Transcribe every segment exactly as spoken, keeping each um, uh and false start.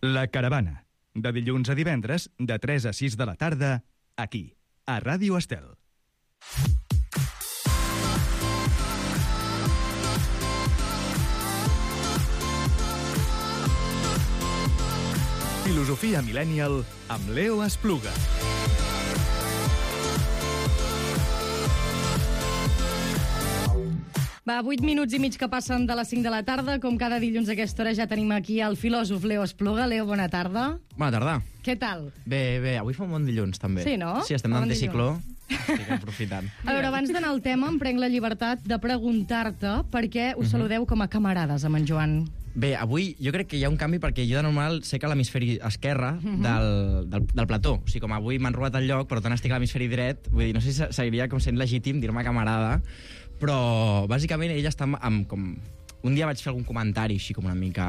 La Caravana, de dilluns a divendres, de tres a sis de la tarda, aquí, a Ràdio Estel. Filosofia Millennial amb Leo Espluga. Va, vuit minuts i mig que passen de les cinc de la tarda. Com cada dilluns a aquesta hora ja tenim aquí el filòsof Leo Espluga. Leo, bona tarda. Bona tarda. Què tal? Bé, bé, avui fa un bon dilluns, també. Sí, no? Sí, estem Bon d'anticicló. Estic aprofitant. A veure, abans d'anar al tema, em prenc la llibertat de preguntar-te per què us saludeu com a camarades amb en Joan. Bé, avui jo crec que hi ha un canvi perquè jo de normal sé que a l'hemisferi esquerre del, del, del plató. O sigui, com avui m'han robat el lloc, però tant estic a l'hemisferi dret, vull dir, no sé si seguiria com sent legítim dir-me camarada, però bàsicament ell està amb com... Un dia vaig fer algun comentari així com una mica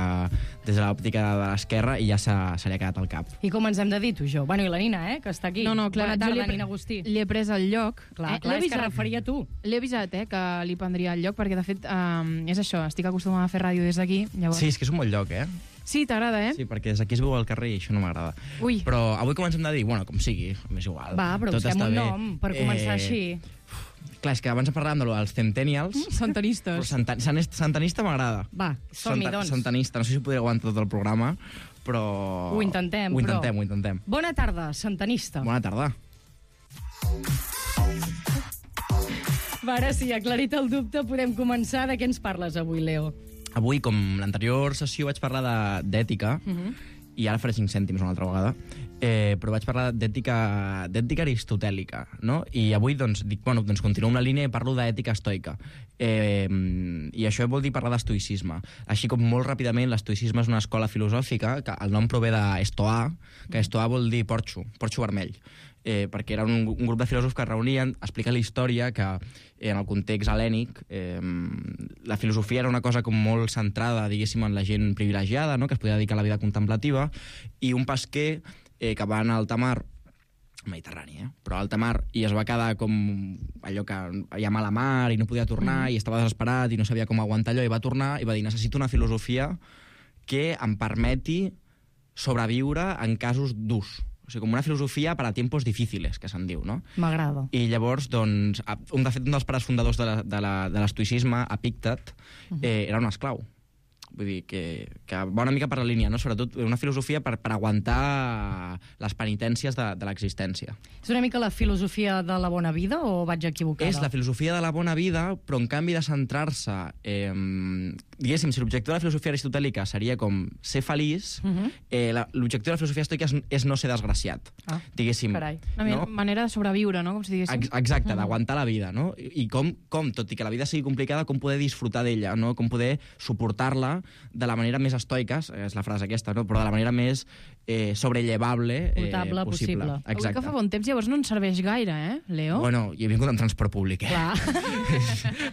des de l'òptica de l'esquerra i ja se, se li ha quedat al cap. I com ens hem de dir, tu, jo? Bueno, i la Nina, eh, que està aquí. No, no, clar, Bona jo tarda, li he, Nina Agustí. li he pres el lloc. Clar, eh, clar, l'he és que avisat. referia a tu. L'he avisat, eh, que li prendria el lloc, perquè, de fet, um, és això, estic acostumada a fer ràdio des d'aquí. Llavors... Sí, és que és un bon lloc, eh? Sí, t'agrada, eh? Sí, perquè des d'aquí es veu al carrer i això no m'agrada. Ui. Però avui comencem de dir, bueno, com sigui, m'és igual. Va, però tot busquem està un bé. nom per començar així. Clar, és que abans parlàvem de lo dels centennials, però Santanistes. santa, san- santanista m'agrada. Va, som-hi, Santa- doncs. Santanista, no sé si podria aguantar tot el programa, però... Ho intentem, Ho però- intentem, ho intentem. Bona tarda, santanista. Bona tarda. Va, ara sí, aclarit el dubte, podem començar. De què ens parles avui, Leo? Avui, com l'anterior sessió vaig parlar de- d'ètica, i ara faré cinc cèntims una altra vegada, eh, però vaig parlar d'ètica d'ètica aristotèlica, no? I avui, doncs, dic, bueno, doncs continuo amb la línia i parlo d'ètica estoica. Eh, I això vol dir parlar d'estoicisme. Així com molt ràpidament, l'estoicisme és una escola filosòfica, que el nom prové d'estoà, que estoà vol dir porxo, porxo vermell. Eh, perquè era un, un grup de filòsofs que es reunien a explicar la història, que en el context hel·lènic eh, la filosofia era una cosa com molt centrada, diguéssim, en la gent privilegiada, no?, que es podia dedicar a la vida contemplativa, i un pesquer eh, que va anar a alta mar, Mediterrani, eh? però a alta mar, i es va quedar com allò que hi ha mala mar i no podia tornar, mm. i estava desesperat i no sabia com aguantar allò, i va tornar i va dir, necessito una filosofia que em permeti sobreviure en casos durs. O sigui, com una filosofia per a tiempos difíciles, que se'n diu, no? M'agrada. I llavors, doncs, un, de fet, un dels pares fundadors de la- de la- de l'estoicisme, Epíctet, eh, era un esclau. Vull dir, que, que va una mica per la línia, no? Sobretot una filosofia per, per aguantar les penitències de, de l'existència. És una mica la filosofia de la bona vida o vaig equivocada? És la filosofia de la bona vida, però en canvi de centrar-se... Eh, diguéssim, si l'objectiu de la filosofia aristotèlica seria com ser feliç, uh -huh. eh, la- l'objectiu de la filosofia estoica és, és no ser desgraciat. Ah, diguéssim, carai. Una no? manera de sobreviure, no?, com si diguéssim. Ex- Exacte, d'aguantar la vida, no? I i com, com, tot i que la vida sigui complicada, com poder disfrutar d'ella, no? Com poder suportar-la de la manera més estoica, és la frase aquesta, no? Però de la manera més eh, sobrellevable eh, Portable possible. Avui Exacte. que fa bon temps, llavors no ens serveix gaire, eh, Leo? Bueno, jo he vingut en transport públic, eh? Clar.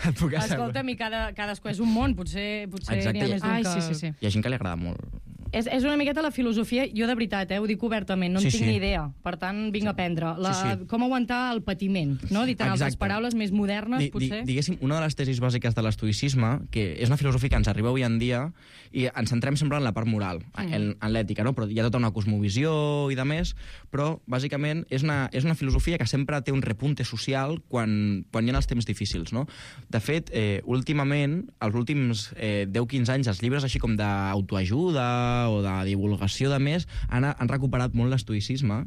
Et puc assegurar. Escolta'm, i cada, cadascú és un món, potser, potser Exacte. n'hi ha més d'un Ai, que... sí, sí, sí. Hi ha gent que li agrada molt. És, és una miqueta la filosofia, jo de veritat, eh, ho dic obertament, no en Sí, tinc sí. ni idea, per tant vinc a aprendre. La, Sí, sí. Com aguantar el patiment, no? Dit en altres Exacte. paraules més modernes, Di- di- potser. Diguéssim, una de les tesis bàsiques de l'estoicisme, que és una filosofia que ens arriba avui en dia, i ens centrem sempre en la part moral, Mm. en, en l'ètica, no? Però hi ha tota una cosmovisió i de més, però bàsicament és una, és una filosofia que sempre té un repunte social quan, quan hi ha els temps difícils, no? De fet, eh, últimament, els últims eh, deu quinze anys, els llibres així com d'autoajuda o de divulgació de més han, han recuperat molt l'estoicisme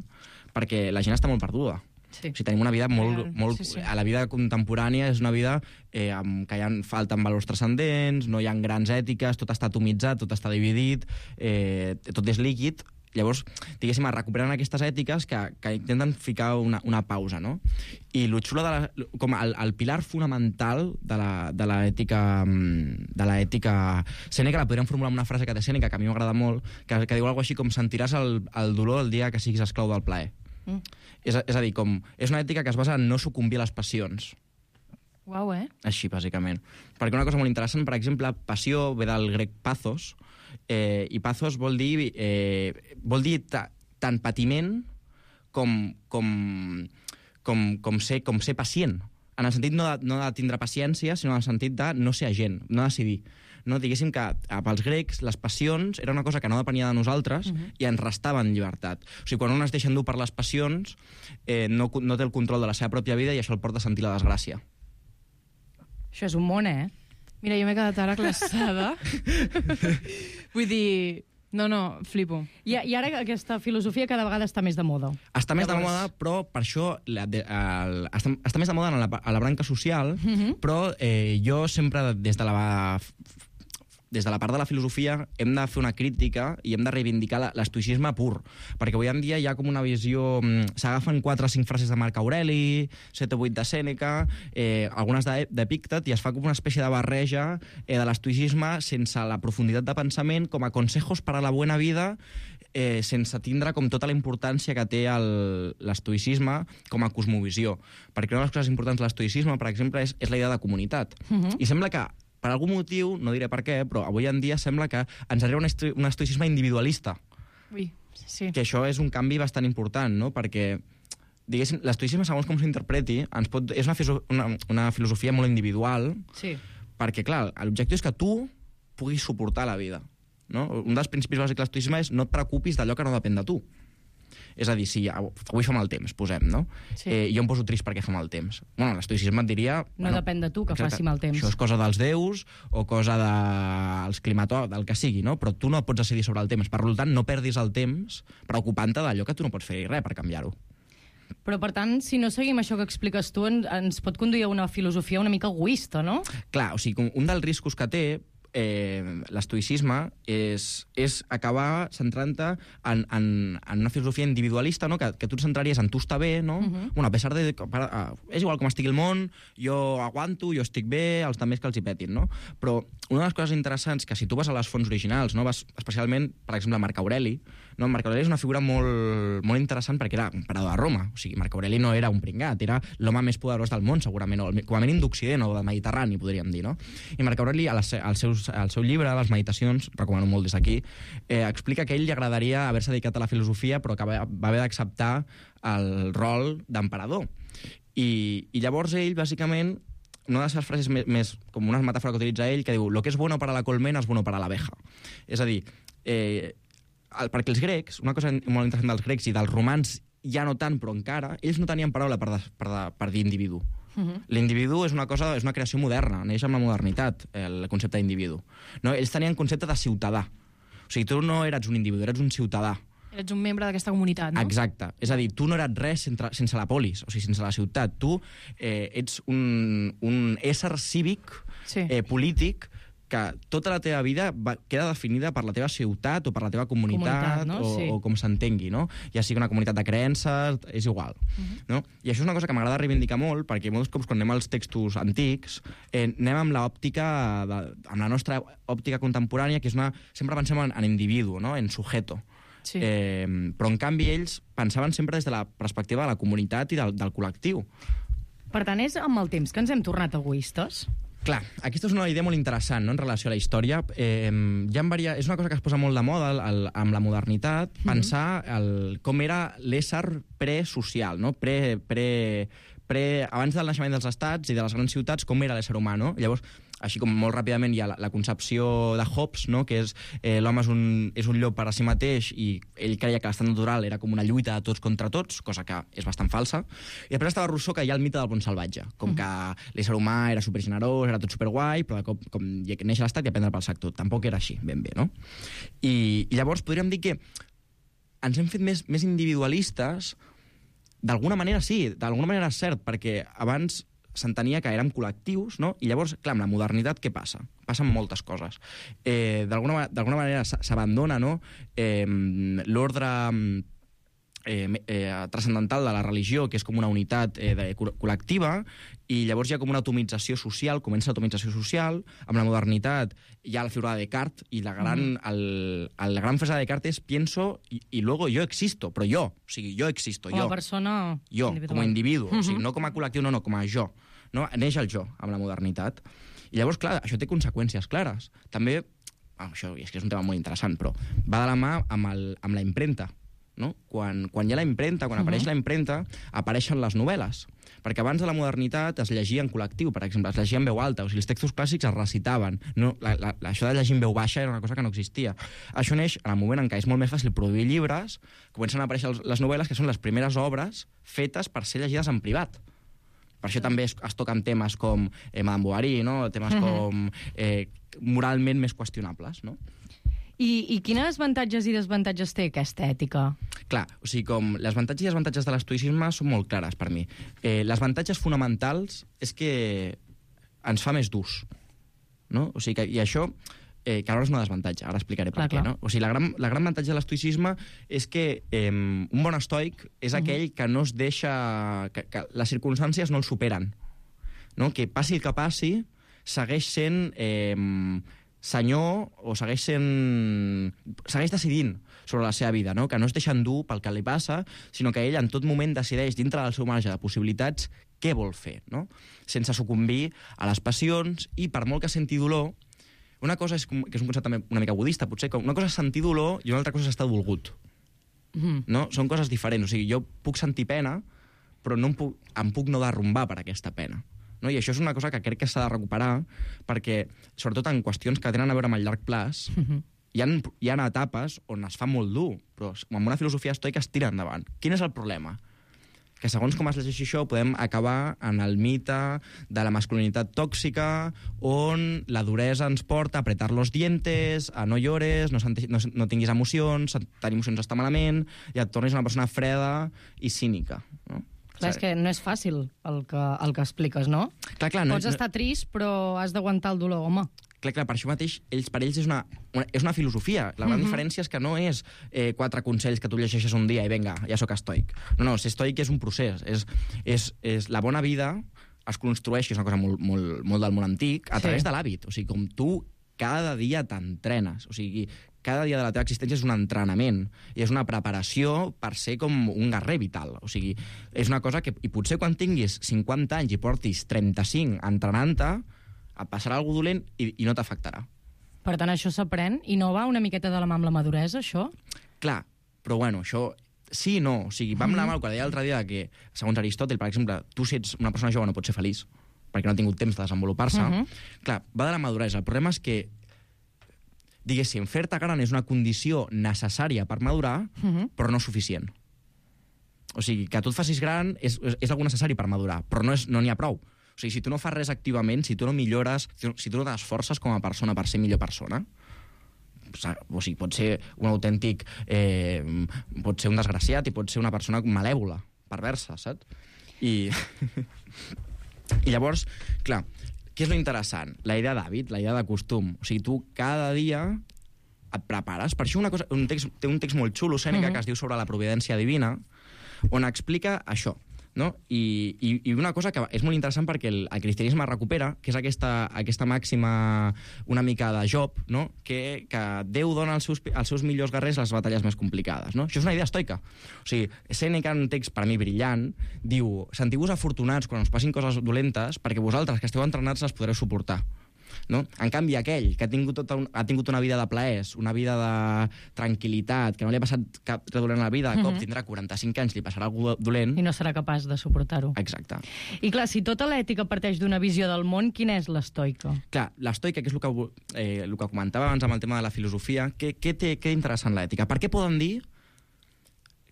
perquè la gent està molt perduda. Sí. O sigui, tenim una vida molt... Real, molt sí, sí. A la vida contemporània és una vida eh, amb, que hi ha, falten valors transcendents, no hi ha grans ètiques, tot està atomitzat, tot està dividit, eh, tot és líquid. Llavors, diguéssim, recuperen aquestes ètiques que, que intenten ficar una, una pausa, no? I el xulo de la, com el, el pilar fonamental de la, de l'ètica de l'ètica Sèneca, la podríem formular amb una frase que té Sèneca, que a mi m'agrada molt, que, que diu alguna cosa així com sentiràs el, el dolor el dia que siguis esclau del plaer. Mm. És, a, és a dir, com, és una ètica que es basa en no sucumbir a les passions. Uau, eh? Així, bàsicament. Perquè una cosa molt interessant, per exemple, passió ve del grec pathos, eh, i pathos vol dir, eh, vol dir ta, tant patiment com, com, com, com, ser, com ser pacient. En el sentit no de, no de tindre paciència, sinó en el sentit de no ser agent, no decidir. no? Diguéssim que pels grecs les passions era una cosa que no depenia de nosaltres uh-huh. i ens restaven llibertat. O sigui, quan un es deixa endur per les passions, eh, no, no té el control de la seva pròpia vida i això el porta a sentir la desgràcia. Això és un món, eh? Mira, jo m'he quedat ara glaçada. Vull dir... No, no, flipo. I, I ara aquesta filosofia cada vegada està més de moda. Està més Llavors... de moda, però per això la, de, el, està, està més de moda a la, a la branca social, uh-huh. però eh, jo sempre, des de la... des de la part de la filosofia hem de fer una crítica i hem de reivindicar l'estoïcisme pur, perquè avui en dia hi ha com una visió... S'agafen quatre o cinc frases de Marc Aureli, set o vuit de Sèneca, eh, algunes d'Epíctet, i es fa com una espècie de barreja eh, de l'estoïcisme sense la profunditat de pensament, com a consejos per a la bona vida, eh, sense tindre com tota la importància que té l'estoïcisme com a cosmovisió. Perquè una de les coses importants de l'estoïcisme, per exemple, és, és la idea de comunitat. Uh-huh. I sembla que per algun motiu, no diré per què, però avui en dia sembla que ens arriba un, esto un estoicisme individualista. Ui, sí. Que això és un canvi bastant important, no? Perquè, diguéssim, l'estoicisme, segons com s'interpreti, ens pot... és una, una, una filosofia molt individual, sí. perquè, clar, l'objectiu és que tu puguis suportar la vida. No? Un dels principis bàsics de l'estoicisme és no et preocupis d'allò que no depèn de tu. És a dir, si avui fa mal temps, posem, no? Sí. Eh, jo em poso trist perquè fa mal temps. Bueno, l'estoïcisme et diria... No bueno, depèn de tu que exacte, faci mal temps. Això és cosa dels déus o cosa dels de, climatòlegs, del que sigui, no? Però tu no pots decidir sobre el temps. Per tant, no perdis el temps preocupant-te d'allò que tu no pots fer res per canviar-ho. Però, per tant, si no seguim això que expliques tu, ens pot conduir a una filosofia una mica egoista, no? Clar, o sigui, un dels riscos que té Eh, l'estoïcisme és, és acabar centrant-te en, en, en una filosofia individualista, no? que, que tu et centraries en tu està bé, no? Uh-huh. Bueno, a pesar de... Per, uh, és igual com estigui el món, jo aguanto, jo estic bé, els altres que els hi petin, no? Però una de les coses interessants, que si tu vas a les fonts originals, no? Vas especialment, per exemple, Marc Aureli, no? Marc Aureli és una figura molt, molt interessant perquè era emperador de Roma. O sigui, Marc Aureli no era un pringat, era l'home més poderós del món, segurament, o com a mínim d'Occident o del Mediterrani, podríem dir, no? I Marc Aureli, als seus el seu llibre, les meditacions, recomano molt des d'aquí, eh, explica que a ell li agradaria haver-se dedicat a la filosofia, però que va, va haver d'acceptar el rol d'emperador. I, I llavors ell, bàsicament, una de les seves frases més, més com una metàfora que utilitza ell, que diu «Lo que és bueno para la colmena és bueno para l'abeja». És a dir, eh, el, perquè els grecs, una cosa molt interessant dels grecs i dels romans ja no tant, però encara, ells no tenien paraula per, de, per, de, per dir individu. Uh-huh. L'individu és una cosa, és una creació moderna, neix amb la modernitat, el concepte d'individu. No? Ells tenien concepte de ciutadà. O sigui, tu no eres un individu, eres un ciutadà. Eres un membre d'aquesta comunitat, no? Exacte. És a dir, tu no eres res sense, sense la polis, o sigui, sense la ciutat. Tu eh, ets un, un ésser cívic, sí. eh, polític, que tota la teva vida va, queda definida per la teva ciutat o per la teva comunitat, comunitat no? o, sí. o com s'entengui, no? Ja sigui una comunitat de creences, és igual. Uh-huh. No? I això és una cosa que m'agrada reivindicar molt, perquè molts cops quan anem als textos antics eh, anem amb l'òptica, amb la nostra òptica contemporània, que és una... Sempre pensem en, en individu, no? En sujeto. Sí. Eh, però, en canvi, ells pensaven sempre des de la perspectiva de la comunitat i del, del col·lectiu. Per tant, és amb el temps que ens hem tornat egoistes? Clar, aquesta és una idea molt interessant, no?, en relació a la història. Eh, hi ha varia... És una cosa que es posa molt de moda el, el, amb la modernitat, mm-hmm. pensar el, com era l'ésser presocial, no? Pre, pre, pre, abans del naixement dels estats i de les grans ciutats, com era l'ésser humà, no? Llavors, així com molt ràpidament hi ha la, la concepció de Hobbes, no? Que és eh, l'home és un, és un llop per a si mateix i ell creia que l'estat natural era com una lluita de tots contra tots, cosa que és bastant falsa. I després estava Rousseau, que hi ha el mite del bon salvatge, com que l'ésser humà era supergenerós, era tot superguai, però com, com neix l'estat i aprendre pel sac tot. Tampoc era així, ben bé, no? I, i llavors podríem dir que ens hem fet més, més individualistes. D'alguna manera sí, d'alguna manera és cert, perquè abans s'entenia que érem col·lectius, no? I llavors, clar, amb la modernitat què passa? Passen moltes coses. Eh, d'alguna manera s'abandona, no? Eh, l'ordre eh, eh, transcendental de la religió, que és com una unitat eh, de, col·lectiva, i llavors hi ha com una atomització social, comença l'atomització social, amb la modernitat hi ha la figura de Descartes, i la gran, mm. el, el, la gran frase de Descartes és pienso y, y luego yo existo, però jo, o sigui, jo existo, com jo. Com a persona jo, individual. Com a individu, mm-hmm. o sigui, no com a col·lectiu, no, no, com a jo. No? Neix el jo, amb la modernitat. I llavors, clar, això té conseqüències clares. També, ah, això és que és un tema molt interessant, però va de la mà amb, el, amb la impremta. no? Quan, quan hi ha la impremta, quan uh -huh. apareix la impremta, apareixen les novel·les. Perquè abans de la modernitat es llegia en col·lectiu, per exemple, es llegia en veu alta, o sigui, els textos clàssics es recitaven. No, la, la, això de llegir en veu baixa era una cosa que no existia. Això neix en el moment en què és molt més fàcil produir llibres, comencen a aparèixer les novel·les, que són les primeres obres fetes per ser llegides en privat. Per això també es, es toquen temes com eh, Madame Bovary, no? Temes uh-huh. com eh, moralment més qüestionables, no? I, I quines avantatges i desavantatges té aquesta ètica? Clar, o sigui, com les avantatges i desavantatges de l'estoïcisme són molt clares per mi. Eh, les avantatges fonamentals és que ens fa més durs, no? O sigui, que, i això, eh, que ara és una desavantatge, ara explicaré per clar, què, no? O sigui, la gran, la gran avantatge de l'estoïcisme és que eh, un bon estoic és aquell uh-huh. que no es deixa... Que, que les circumstàncies no el superen, no? Que passi el que passi, segueix sent... Eh, senyor o segueix sent... segueix decidint sobre la seva vida, no? Que no es deixa endur pel que li passa, sinó que ell en tot moment decideix, dintre del seu marge de possibilitats, què vol fer, no? Sense sucumbir a les passions i, per molt que senti dolor, una cosa és, que és un concepte també una mica budista, potser, que una cosa és sentir dolor i una altra cosa és estar dolgut. Mm. No? Són coses diferents. O sigui, jo puc sentir pena, però no em puc, em puc no derrumbar per aquesta pena. No? I això és una cosa que crec que s'ha de recuperar perquè, sobretot en qüestions que tenen a veure amb el llarg plaç, uh-huh. hi, ha, hi ha etapes on es fa molt dur, però amb una filosofia estoica es tira endavant. Quin és el problema? Que segons com es llegeixi això podem acabar en el mite de la masculinitat tòxica, on la duresa ens porta a apretar los dientes, a no llores, no, no, no tinguis emocions, tenir emocions està malament, i et tornis una persona freda i cínica, no? Clar, és que no és fàcil el que, el que expliques, no? Clar, clar, no Pots estar trist, però has d'aguantar el dolor, home. Clar, clar, per això mateix, ells, per ells és una, una, és una filosofia. La gran uh-huh. diferència és que no és eh, quatre consells que tu llegeixes un dia i vinga, ja sóc estoic. No, no, ser estoic és un procés. És, és, és la bona vida es construeix, que és una cosa molt, molt, molt del món antic, a sí. través de l'hàbit. O sigui, com tu cada dia t'entrenes. O sigui, cada dia de la teva existència és un entrenament i és una preparació per ser com un guerrer vital. O sigui, és una cosa que... I potser quan tinguis cinquanta anys i portis trenta-cinc entrenant-te, et passarà alguna dolent i, i no t'afectarà. Per tant, això s'aprèn i no va una miqueta de la mà amb la maduresa, això? Clar, però bueno, això... Sí i no. O sigui, vam anar mal quan deia l'altre dia que, segons Aristòtil, per exemple, tu si ets una persona jove no pots ser feliç perquè no ha tingut temps de desenvolupar-se. Uh-huh. Clar, va de la maduresa. El problema és que diguéssim, fer-te gran és una condició necessària per madurar, uh-huh. però no suficient. O sigui, que tu et facis gran és, és, és algo necessari per madurar, però no n'hi no ha prou. O sigui, si tu no fas res activament, si tu no millores, si tu no t'esforces com a persona per ser millor persona, o sigui, pot ser un autèntic... Eh, pot ser un desgraciat i pot ser una persona malèvola, perversa, saps? I, I llavors, clar... Què és lo interessant? La idea d'hàbit, la idea de costum. O sigui, tu cada dia et prepares. Per això una cosa, un text, té un text molt xulo, Sèneca, uh-huh. que es diu sobre la providència divina, on explica això, no? I, i, i una cosa que és molt interessant perquè el, el cristianisme recupera, que és aquesta, aquesta màxima una mica de Job, no? que, que Déu dona als seus, als seus millors guerrers les batalles més complicades. No? Això és una idea estoica. O sigui, Sèneca, en un text per a mi brillant, diu: sentiu-vos afortunats quan us passin coses dolentes perquè vosaltres, que esteu entrenats, les podreu suportar. No? En canvi, aquell que ha tingut, tota un, ha tingut una vida de plaers, una vida de tranquil·litat, que no li ha passat cap dolent a la vida, de cop uh-huh. tindrà quaranta-cinc anys, li passarà algú dolent... I no serà capaç de suportar-ho. Exacte. I clar, si tota l'ètica parteix d'una visió del món, quina és l'estoica? Clar, l'estoica, que és el que, eh, el que comentava abans amb el tema de la filosofia, què, què té què interessant l'ètica? Per què poden dir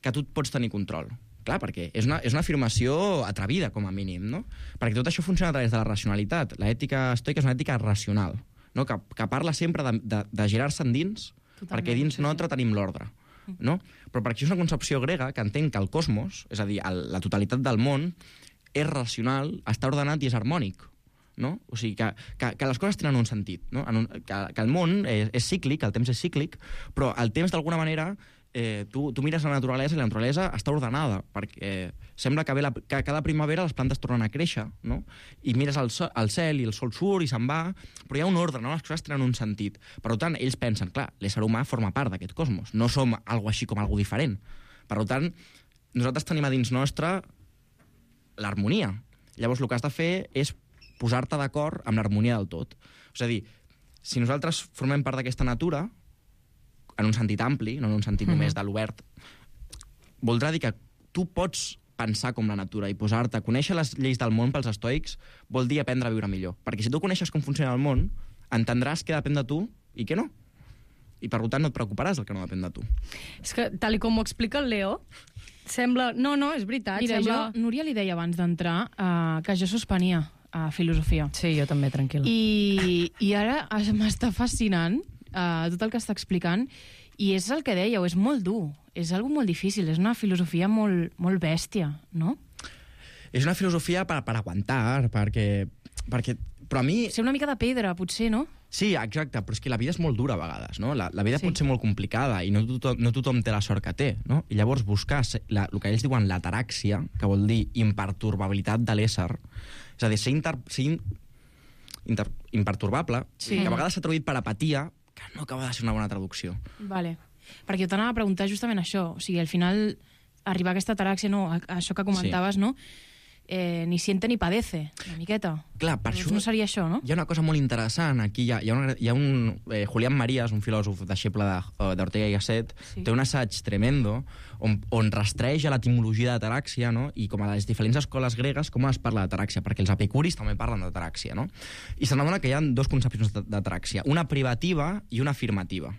que tu pots tenir control? Clar, perquè és una, és una afirmació atrevida, com a mínim, no? Perquè tot això funciona a través de la racionalitat. L'ètica estoica és una ètica racional, no? que, que parla sempre de, de, de girar-se endins, totalment, perquè dins sí, nostre sí. tenim l'ordre. No? Però perquè és una concepció grega que entén que el cosmos, és a dir, el, la totalitat del món, és racional, està ordenat i és harmònic. No? O sigui, que, que, que les coses tenen un sentit. No? En un, que, que el món és, és cíclic, el temps és cíclic, però el temps, d'alguna manera... Eh, tu, tu mires la naturalesa i la naturalesa està ordenada, perquè sembla que, ve la, que cada primavera les plantes tornen a créixer, no? I mires el, so, el cel i el sol surt i se'n va, però hi ha un ordre, no? Les coses tenen un sentit. Per tant, ells pensen, clar, l'ésser humà forma part d'aquest cosmos, no som algo així com algo diferent. Per tant, nosaltres tenim a dins nostre l'harmonia. Llavors, el que has de fer és posar-te d'acord amb l'harmonia del tot. És a dir, si nosaltres formem part d'aquesta natura, en un sentit ampli, no en un sentit mm-hmm. només de l'obert, voldrà dir que tu pots pensar com la natura i posar-te, conèixer les lleis del món pels estoics vol dir aprendre a viure millor. Perquè si tu coneixes com funciona el món, entendràs què depèn de tu i què no. I per tant no et preocuparàs del que no depèn de tu. És que, tal i com ho explica el Leo, sembla... No, no, és veritat. Mira, sembla... jo, Núria li deia abans d'entrar uh, que jo suspenia a uh, filosofia. Sí, jo també, tranquil. I, i ara m'està fascinant uh, tot el que està explicant, i és el que dèieu, és molt dur, és algo molt difícil, és una filosofia molt, molt bèstia, no? És una filosofia per, per aguantar, perquè, perquè... Però a mi... Ser una mica de pedra, potser, no? Sí, exacte, però és que la vida és molt dura a vegades, no? La, la vida Sí. pot ser molt complicada i no tothom, no tothom té la sort que té, no? I llavors buscar la, el que ells diuen l'ataràxia, que vol dir imperturbabilitat de l'ésser, és a dir, ser, inter, ser in, inter, imperturbable, Sí. que a vegades s'ha traduït per apatia, que no acaba de ser una bona traducció. Vale. Perquè jo t'anava a preguntar justament això, o sigui, al final arribar a aquesta ataràxia, no, a, a això que comentaves, sí. no? Eh, ni siente ni padece, una miqueta. Clar, per Llavors això... no seria això, no? Hi ha una cosa molt interessant. Aquí hi ha, hi ha, una, hi ha un... Eh, Julián Marías, un filòsof deixeble de- d'Ortega i Gasset, Sí. té un assaig tremendo on, on rastreja l'etimologia d'ataràxia, no? I com a les diferents escoles gregues, com es parla d'ataràxia, perquè els epicuris també parlen d'ataràxia, no? I se n'adona que hi ha dos concepcions d'ataràxia, una privativa i una afirmativa.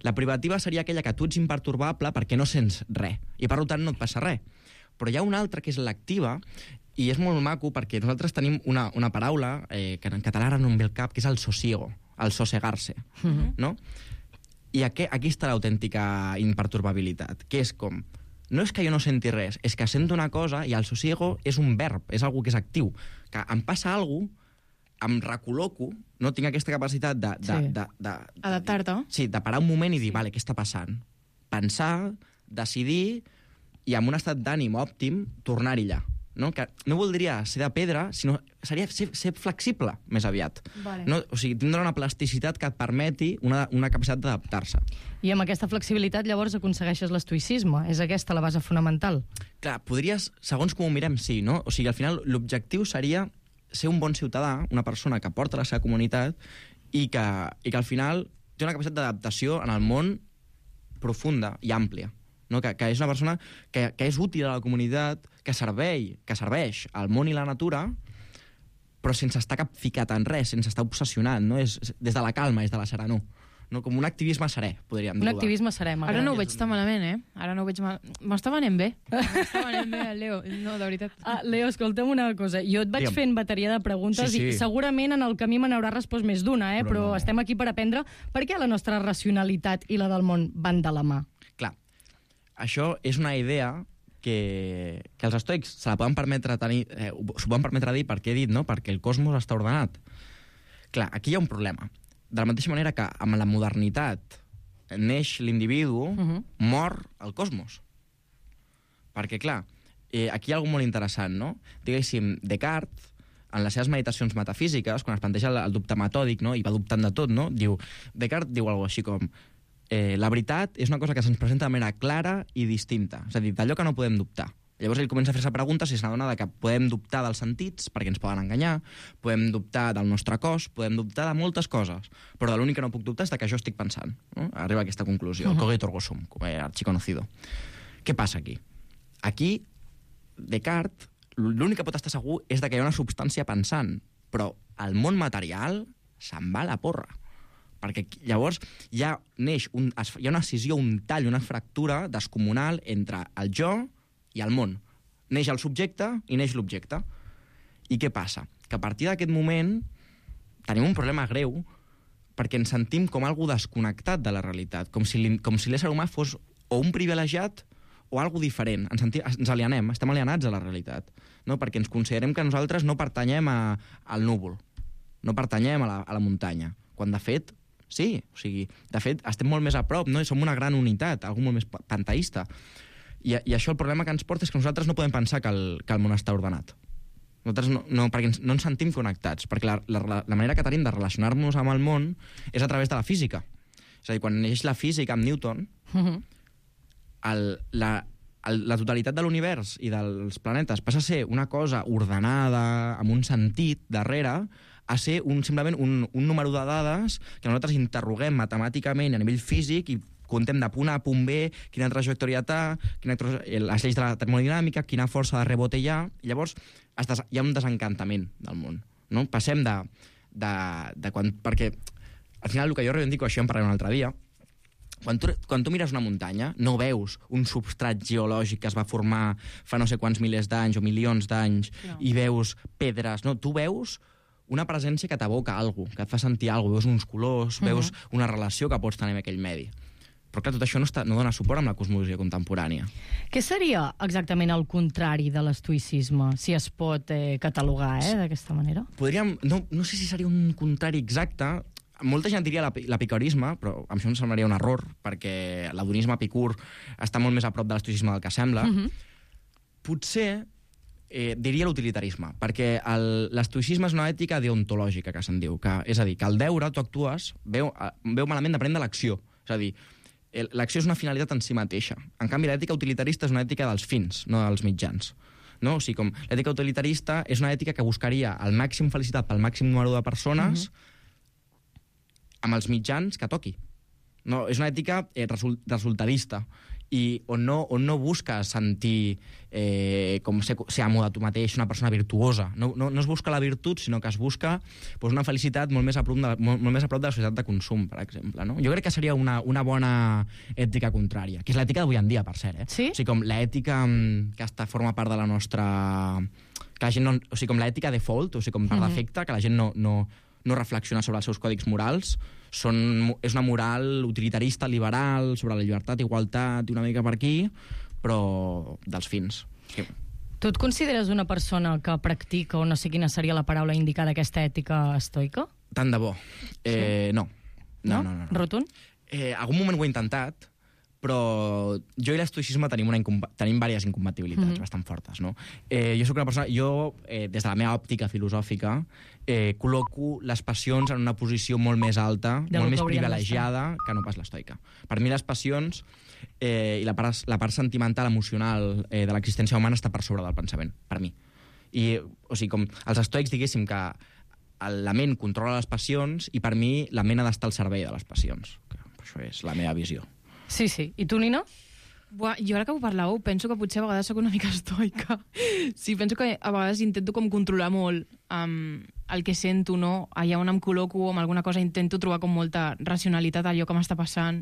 La privativa seria aquella que tu ets imperturbable perquè no sents res, i per tant no et passa res. Però hi ha una altra que és l'activa, i és molt maco perquè nosaltres tenim una, una paraula eh, que en català ara no em ve el cap, que és el sosiego, el sossegar-se, Mhm. no? I aquí, aquí està l'autèntica imperturbabilitat, que és com, no és que jo no senti res, és que sento una cosa i el sosiego és un verb, és algo que és actiu, que em passa alguna cosa, em recol·loco, no tinc aquesta capacitat de... de, Sí. de, de, de Adaptar-te. Sí, de parar un moment i dir, Sí. vale, què està passant? Pensar, decidir i amb un estat d'ànim òptim tornar-hi allà. No? Que no voldria ser de pedra, sinó seria ser, ser flexible, més aviat. Vale. No? O sigui, tindre una plasticitat que et permeti una, una capacitat d'adaptar-se. I amb aquesta flexibilitat llavors aconsegueixes l'estoïcisme. És aquesta la base fonamental. Clar, podries, segons com ho mirem, sí, no? O sigui, al final l'objectiu seria ser un bon ciutadà, una persona que porta la seva comunitat i que, i que al final té una capacitat d'adaptació en el món profunda i àmplia. No? Que, que és una persona que, que és útil a la comunitat, que servei, que serveix al món i la natura, però sense estar capficat en res, sense estar obsessionat, no? És, és des de la calma, és de la serenor. No? Com un activisme serè, podríem Un dir. activisme serè, Ara no ho m'agrada. veig tan malament, eh? Ara no ho veig mal... M'està venent bé. M'està venent bé, el Leo. No, de veritat. Ah, Leo, escolta'm una cosa. Jo et vaig Digue'm. fent bateria de preguntes Sí, sí. i segurament en el camí me n'haurà respost més d'una, eh? Però però no. estem aquí per aprendre per què la nostra racionalitat i la del món van de la mà. Clar, això és una idea que, que els estoics se la poden permetre tenir, eh, s'ho poden permetre dir perquè he dit, no? Perquè el cosmos està ordenat. Clar, aquí hi ha un problema. De la mateixa manera que amb la modernitat neix l'individu, Mhm. mor el cosmos. Perquè, clar, eh, aquí hi ha alguna molt interessant, no? Diguéssim, Descartes, en les seves meditacions metafísiques, quan es planteja el, el dubte metòdic, no? I va dubtant de tot, no? Diu, Descartes diu alguna així com eh, la veritat és una cosa que se'ns presenta de manera clara i distinta. És a dir, d'allò que no podem dubtar. Llavors ell comença a fer-se preguntes i s'adona que podem dubtar dels sentits perquè ens poden enganyar, podem dubtar del nostre cos, podem dubtar de moltes coses, però de l'únic que no puc dubtar és de que jo estic pensant. No? Arriba a aquesta conclusió, el cogito ergo sum, eh, archiconocido. Què passa aquí? Aquí, Descartes, l'únic que pot estar segur és de que hi ha una substància pensant, però el món material se'n va a la porra. Perquè llavors ja neix un, hi ha una escissió, un tall, una fractura descomunal entre el jo i el món. Neix el subjecte i neix l'objecte. I què passa? Que a partir d'aquest moment tenim un problema greu perquè ens sentim com algú desconnectat de la realitat, com si, com si l'ésser humà fos o un privilegiat o algo diferent. Ens, sentim, ens alienem, estem alienats a la realitat, no? Perquè ens considerem que nosaltres no pertanyem a, al núvol, no pertanyem a la, a la muntanya, quan de fet, sí, o sigui, de fet estem molt més a prop, no? I som una gran unitat, algú molt més panteista. I, I això el problema que ens porta és que nosaltres no podem pensar que el, que el món està ordenat. Nosaltres no, no, perquè ens, no ens sentim connectats, perquè la, la, la manera que tenim de relacionar-nos amb el món és a través de la física. És a dir, quan neix la física amb Newton, Mhm. el, la, el, la totalitat de l'univers i dels planetes passa a ser una cosa ordenada, amb un sentit darrere, a ser un, simplement un, un número de dades que nosaltres interroguem matemàticament a nivell físic i contem de punt A a punt B, quina trajectòria té, quina, les lleis de la termodinàmica, quina força de rebote hi ha, i llavors es des, hi ha un desencantament del món. No? Passem de, de, de quan... Perquè al final el que jo reivindico, això en parlaré un altre dia, quan tu, quan tu mires una muntanya, no veus un substrat geològic que es va formar fa no sé quants milers d'anys o milions d'anys, no. I veus pedres, no, tu veus una presència que t'aboca alguna cosa, que et fa sentir alguna cosa, veus uns colors, mm-hmm. veus una relació que pots tenir amb aquell medi. Però clar, tot això no, està, no dona suport amb la cosmologia contemporània. Què seria exactament el contrari de l'estoïcisme, si es pot eh, catalogar eh, d'aquesta manera? Podríem... No, no sé si seria un contrari exacte. Molta gent diria l'epicurisme, però a mi això em semblaria un error, perquè l'adonisme epicur està molt més a prop de l'estoïcisme del que sembla. Mm-hmm. Potser eh, diria l'utilitarisme, perquè l'estoïcisme és una ètica deontològica, que se'n diu. Que, és a dir, que al deure tu actues, veu, veu malament de prendre l'acció. És a dir, l'acció és una finalitat en si mateixa. En canvi, l'ètica utilitarista és una ètica dels fins, no dels mitjans. No? O sigui, com l'ètica utilitarista és una ètica que buscaria el màxim felicitat pel màxim número de persones, mm-hmm. amb els mitjans que toqui. No, és una ètica eh, result, resultadista, i on no, on no busques sentir eh, com ser, ser amo de tu mateix, una persona virtuosa. No, no, no es busca la virtut, sinó que es busca pues, una felicitat molt més, a prop de, molt, molt més a prop de la societat de consum, per exemple. No? Jo crec que seria una, una bona ètica contrària, que és l'ètica d'avui en dia, per cert. Eh? Sí? O sigui, com l'ètica que està, forma part de la nostra... Que la gent no, o sigui, com l'ètica default, o sigui, com per mm-hmm. defecte, que la gent no... no no reflexiona sobre els seus còdics morals, són, és una moral utilitarista, liberal, sobre la llibertat, igualtat, i una mica per aquí, però dels fins. Sí. Tu et consideres una persona que practica, o no sé quina seria la paraula indicada, aquesta ètica estoica? Tant de bo. Eh, sí. no. No, no, no, no. Rotund? Eh, algun moment ho he intentat, però jo i l'estoicisme tenim, una tenim diverses incompatibilitats mm-hmm. bastant fortes, no? Eh, jo soc una persona... Jo, eh, des de la meva òptica filosòfica, eh, col·loco les passions en una posició molt més alta, de molt més privilegiada que no pas l'estoica. Per mi les passions eh, i la part, la part sentimental, emocional eh, de l'existència humana està per sobre del pensament, per mi. I, o sigui, com els estoics, diguéssim que la ment controla les passions i per mi la ment ha d'estar al servei de les passions. Això és la meva visió. Sí, sí. I tu, Nina? Buah, jo ara que ho parlàveu, penso que potser a vegades sóc una mica estoica. Sí, penso que a vegades intento com controlar molt um, el que sento, no? Allà on em col·loco amb alguna cosa intento trobar com molta racionalitat a allò que m'està passant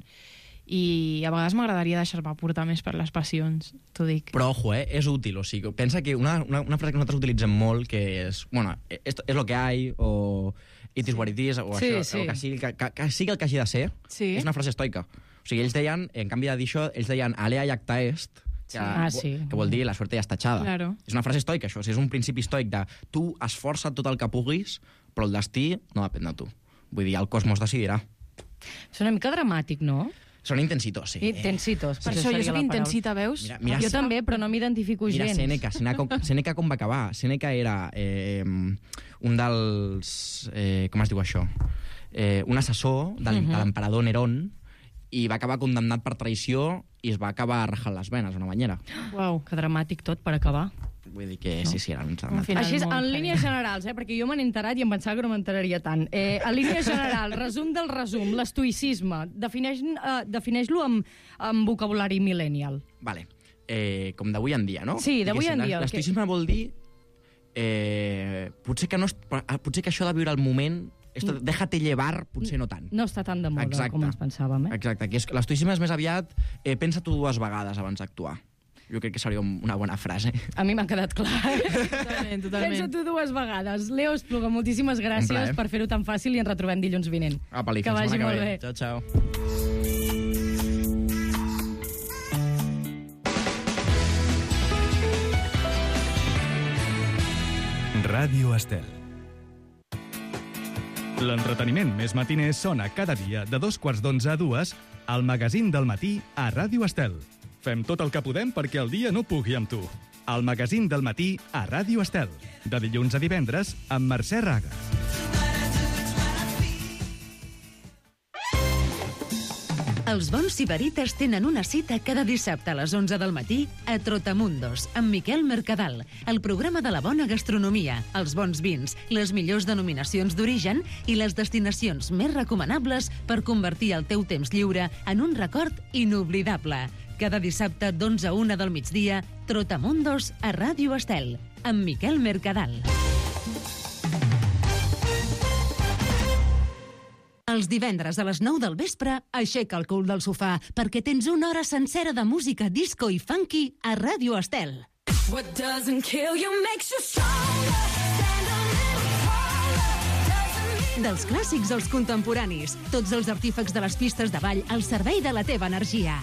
i a vegades m'agradaria deixar-me portar més per les passions, t'ho dic. Però, ojo, eh? És útil, o sigui, pensa que una, una, una frase que nosaltres utilitzem molt, que és, bueno, esto es lo que hay, o it is what it is, o sí, això, sí. o que sigui, que, que, que sigui el que hagi de ser, sí. És una frase estoica. O sigui, ells deien, en canvi de dir això, ells deien alea iacta est, que, ah, sí. que vol dir la suerte ja està echada. Claro. És una frase estoica, això. O sigui, és un principi estoic de tu esforça't tot el que puguis, però el destí no depèn de tu. Vull dir, el cosmos decidirà. És una mica dramàtic, no? Són intensitos, sí. Intensitos. Per això jo soc intensita, veus? Mira, mira, jo també, però no m'identifico gens. Mira, Sèneca, Sèneca, Sèneca com va acabar? Sèneca era eh, un dels... Eh, com es diu això? Eh, un assessor de l'emperador Nerón, i va acabar condemnat per traïció i es va acabar rajant les venes a una banyera. Uau, que dramàtic tot per acabar. Vull dir que no? sí, sí, era un dramàtic. Així, en línies generals, eh, perquè jo me n'he enterat i em pensava que no m'enteraria tant. Eh, en línies generals, resum del resum, l'estoïcisme, defineix-lo eh, defineix amb, amb vocabulari millennial. Vale. Eh, com d'avui en dia, no? Sí, d'avui en dia. L'estoïcisme que... vol dir... Eh, potser, que no és, potser que això de viure el moment... Esto, déjate llevar, potser no tant. No està tan de moda Exacte. Com ens pensàvem, eh? Exacte. L'estoïcisme és més aviat eh, pensa tu dues vegades abans d'actuar. Jo crec que seria una bona frase. A mi m'ha quedat clar. Totalment, totalment. Pensa tu dues vegades. Leo Espluga, moltíssimes gràcies per fer-ho tan fàcil i ens retrobem dilluns vinent. Apa, que vagi molt bé. Ciao, ciao. Ràdio Estel. L'entreteniment més matiner sona cada dia de dos quarts d'onze a dues al magazín del matí a Ràdio Estel. Fem tot el que podem perquè el dia no pugui amb tu. El magazín del matí a Ràdio Estel. De dilluns a divendres amb Mercè Raga. Els bons sibarites tenen una cita cada dissabte a les onze del matí a Trotamundos, amb Miquel Mercadal, el programa de la bona gastronomia, els bons vins, les millors denominacions d'origen i les destinacions més recomanables per convertir el teu temps lliure en un record inoblidable. Cada dissabte d'onze a una del migdia, Trotamundos a Ràdio Estel, amb Miquel Mercadal. Els divendres a les nou del vespre, aixeca el cul del sofà, perquè tens una hora sencera de música disco i funky a Ràdio Estel. What doesn't kill you makes you stronger. Stand a little taller. Dels clàssics als contemporanis, tots els artífecs de les pistes de ball al servei de la teva energia.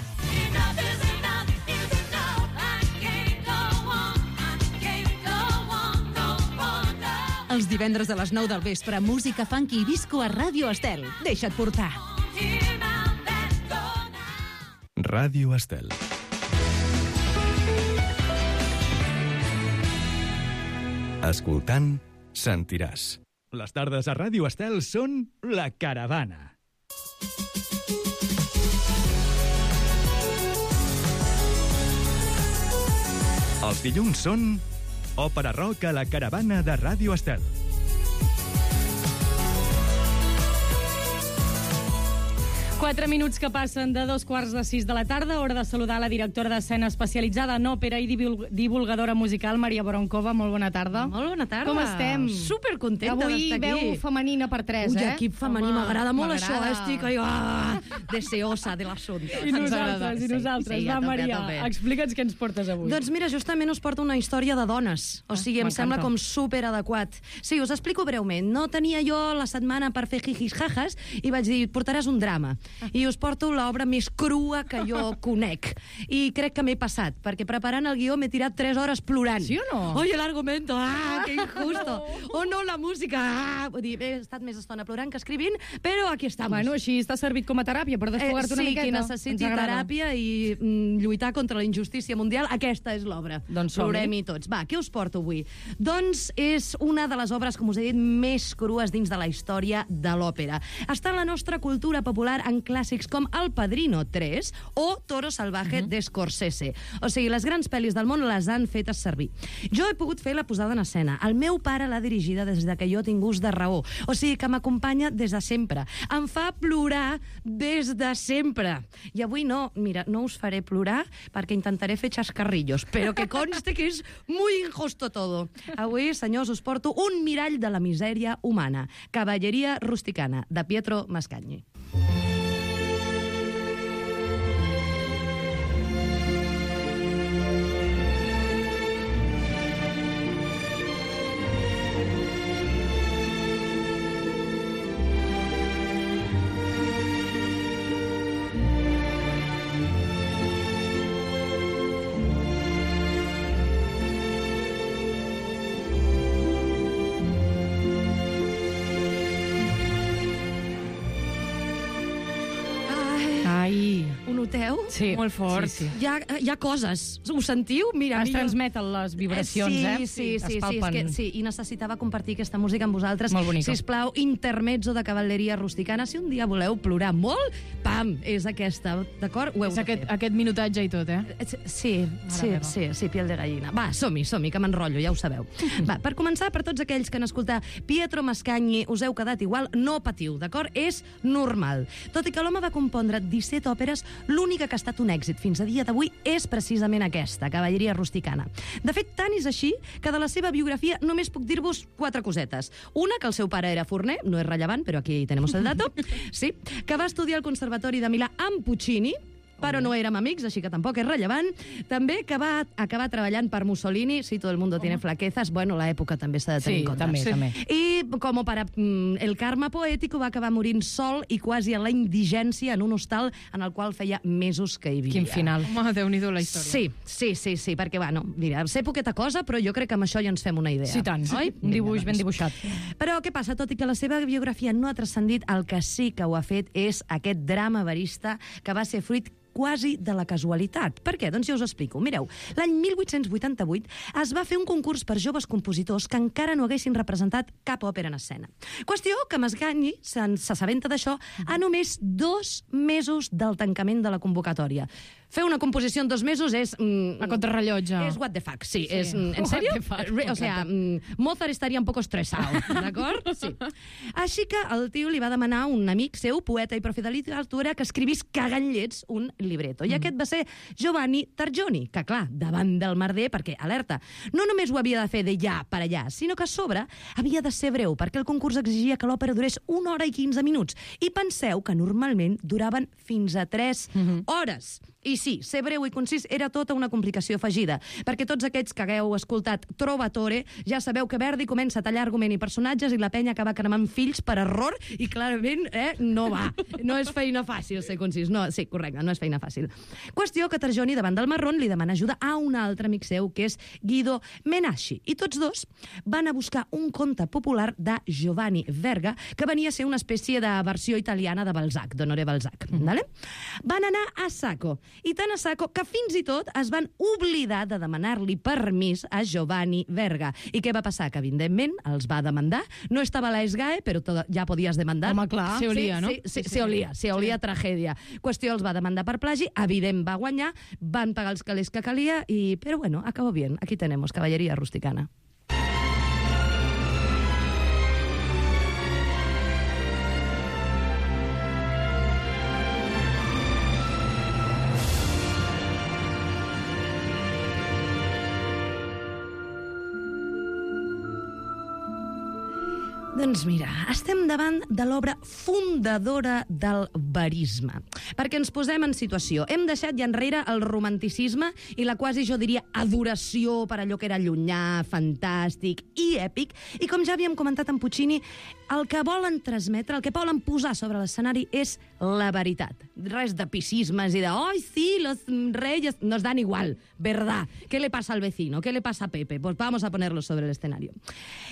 Els divendres a les nou del vespre, música funky i disco a Ràdio Estel. Deixa't portar. Ràdio Estel. Escoltant, sentiràs. Les tardes a Ràdio Estel són La Caravana. Els dilluns són Òpera Rock a La Caravana de Ràdio Estel. Quatre minuts que passen de dos quarts de sis de la tarda, hora de saludar la directora d'escena especialitzada en òpera i divulgadora musical, Maria Boronkova. Molt bona tarda. Molt bona tarda. Com estem? Supercontenta d'estar aquí. Avui veu femenina per tres, Ui, eh? equip femení, m'agrada molt això. m'agrada. Estic ai, ah, deseosa de l'assumpte. I nosaltres, i nosaltres. Sí, sí, Va, a tope, Maria, a tope. explica'ns què ens portes avui. Doncs mira, justament us porto una història de dones. O sigui, em m'encanta. sembla com superadequat. Sí, us explico breument. No tenia jo la setmana per fer jijis jajas i vaig dir, portaràs un drama. I us porto l'obra més crua que jo conec. I crec que m'he passat, perquè preparant el guió m'he tirat tres hores plorant. Sí o no? Oye, el argumento, ah, que injusto. O no, la música, ah. Vull dir, he estat més estona plorant que escrivint, però aquí estamos. Bueno, així t'ha servit com a teràpia per desfogar-te una sí, miqueta. qui necessiti Ens agrada. teràpia i mm, lluitar contra la injustícia mundial, aquesta és l'obra. Doncs som-hi. Plorem-hi tots. Va, què us porto avui? Doncs és una de les obres, com us he dit, més crues dins de la història de l'òpera. Està en la nostra cultura popular en clàssics com El Padrino tres o Toro Salvaje uh -huh. de Scorsese. O sigui, les grans pel·lis del món les han fetes servir. Jo he pogut fer la posada en escena. El meu pare l'ha dirigida des de que jo tinc ús de raó. O sigui, que m'acompanya des de sempre. Em fa plorar des de sempre. I avui no, mira, no us faré plorar perquè intentaré fer xascarrillos, però que conste que és muy injusto todo. Avui, senyors, us porto un mirall de la misèria humana. Cavalleria rusticana, de Pietro Mascagni. Ai, Ho noteu? sí. Molt fort. Sí, sí. Hi ha, hi ha coses. Ho sentiu? Mira, Es mira. transmeten les vibracions, sí, eh? Sí, sí, Es sí, sí, és palpen. que, sí, i necessitava compartir aquesta música amb vosaltres. Molt bonica. Sisplau, intermezzo de cavalleria rusticana. Si un dia voleu plorar molt, pam, és aquesta, d'acord? Ho heu És de aquest, fer. aquest minutatge i tot, eh? Sí, sí, meva. sí, sí, piel de gallina. Va, som-hi, som-hi, que m'enrotllo, ja ho sabeu. Va, per començar, per tots aquells que han escoltat Pietro Mascagni, us heu quedat igual, no patiu, d'acord? És normal. Tot i que l'home va compondre disset òperes, l'única que ha estat un èxit fins a dia d'avui és precisament aquesta, Cavalleria rusticana. De fet, tant és així que de la seva biografia només puc dir-vos quatre cosetes. Una, que el seu pare era forner, no és rellevant, però aquí tenemos el dato, sí, que va estudiar al Conservatori de Milà amb Puccini, però no érem amics, així que tampoc és rellevant. També que va acabar treballant per Mussolini, sí, todo el mundo tiene flaquezas, bueno, l'època també s'ha de tenir Sí, en compte. també, sí. també. I com per mm, el karma poètic va acabar morint sol i quasi en la indigència en un hostal en el qual feia mesos que hi vivia. Quin final. Home, Déu-n'hi-do la història. Sí, sí, sí, sí, perquè, bueno, mira, sé poqueta cosa, però jo crec que amb això ja ens fem una idea. Sí, tant. Oi? Un dibuix Vinga, ben doncs. dibuixat. Però què passa? Tot i que la seva biografia no ha transcendit, el que sí que ho ha fet és aquest drama verista que va ser fruit quasi de la casualitat. Per què? Doncs ja us explico. Mireu, l'any mil vuit-cents vuitanta-vuit es va fer un concurs per joves compositors que encara no haguessin representat cap òpera en escena. Qüestió que Masgani s'assabenta d'això a només dos mesos del tancament de la convocatòria. Fer una composició en dos mesos és... Mm, a contrarrellotge. És what the fuck, sí. sí. És, mm, ¿En serio? Fuck, o sea, mm, Mozart estaria un poco estresado, d'acord? Sí. Així que el tio li va demanar a un amic seu, poeta i profe de literatura, que escrivís cagant llets un libreto. I mm. aquest va ser Giovanni Targioni, que clar, davant del merder, perquè, alerta, no només ho havia de fer de ja per allà, sinó que a sobre havia de ser breu, perquè el concurs exigia que l'òpera durés una hora i quinze minuts. I penseu que normalment duraven fins a tres mm-hmm. hores. I sí, ser breu i concís era tota una complicació afegida, perquè tots aquests que hagueu escoltat Trovatore ja sabeu que Verdi comença a tallar argument i personatges i la penya acaba cremant fills per error i clarament eh, no va. No és feina fàcil ser concís. No, sí, correcte, no és feina fàcil. Qüestió que Targioni, davant del marrón, li demana ajuda a un altre amic seu, que és Guido Menasci. I tots dos van a buscar un conte popular de Giovanni Verga, que venia a ser una espècie de versió italiana de Balzac, d'Honoré Balzac. Mm. Vale? Van anar a saco. I tant a saco que fins i tot es van oblidar de demanar-li permís a Giovanni Verga. I què va passar? Que, evidentment, els va demandar. No estava a la SGAE, però tot, ja podies demandar. Home, clar. Se olía, sí, no? Sí, sí, sí, se olía, se olía sí. Tragèdia. Qüestió, els va demandar per plagi, evident va guanyar, van pagar els calés que calia, i... però bueno, acabó bien. Aquí tenemos caballería rusticana. Doncs mira, estem davant de l'obra fundadora del verisme. Perquè ens posem en situació. Hem deixat ja enrere el romanticisme i la quasi, jo diria, adoració per allò que era llunyà, fantàstic i èpic. I com ja havíem comentat amb Puccini, el que volen transmetre, el que volen posar sobre l'escenari és la veritat. Res de pisismes i de «Ay, sí, los reyes...» Nos dan igual, verdad. ¿Qué le pasa al vecino? ¿Qué le pasa a Pepe? Pues vamos a ponerlo sobre el escenario.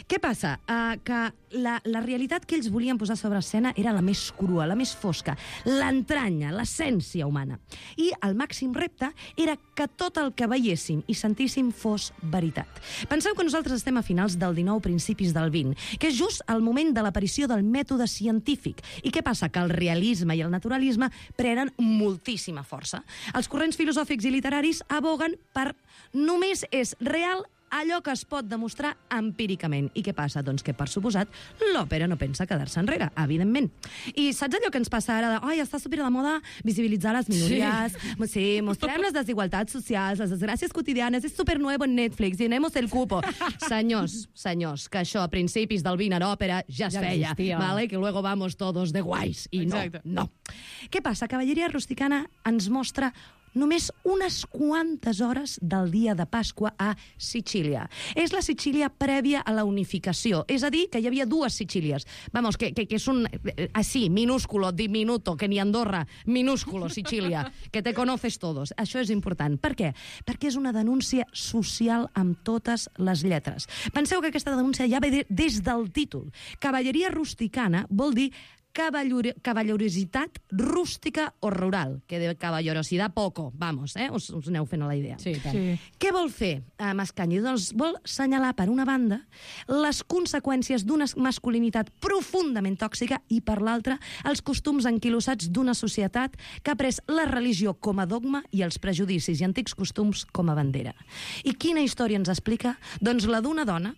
Què passa? Uh, que la, la realitat que ells volien posar sobre escena era la més crua, la més fosca, l'entranya, l'essència humana. I el màxim repte era que tot el que veiéssim i sentíssim fos veritat. Penseu que nosaltres estem a finals del dinou, principis del vint, que és just el moment de l'aparició del mètode científic. I què passa? Que el realisme i el naturalisme prenen moltíssima força. Els corrents filosòfics i literaris aboguen per només és real allò que es pot demostrar empíricament. I què passa? Doncs que, per suposat, l'òpera no pensa quedar-se enrere, evidentment. I saps allò que ens passa ara de «Ai, està super de moda visibilitzar les minories, sí, sí mostrem les desigualtats socials, les desgràcies quotidianes, és super nuevo en Netflix, llenemos el cupo». Senyors, senyors, que això a principis del vint a l'òpera ja es ja feia, existia. Vale? Que luego vamos todos de guais. I Exacte. no, no. Què passa? Cavalleria rusticana ens mostra només unes quantes hores del dia de Pasqua a Sicília. És la Sicília prèvia a la unificació. És a dir, que hi havia dues Sicílies. Vamos, que, que, que és un... Así, minúsculo, diminuto, que ni Andorra, minúsculo, Sicília, que te conoces todos. Això és important. Per què? Perquè és una denúncia social amb totes les lletres. Penseu que aquesta denúncia ja ve de, des del títol. Cavalleria rusticana vol dir Cavallor cavallerositat rústica o rural, que de cavallerositat poco, vamos, eh? Us, us aneu fent a la idea. Sí, tant. Sí. Què vol fer eh, Mascagni? Doncs vol senyalar, per una banda, les conseqüències d'una masculinitat profundament tòxica i, per l'altra, els costums anquilosats d'una societat que ha pres la religió com a dogma i els prejudicis i antics costums com a bandera. I quina història ens explica? Doncs la d'una dona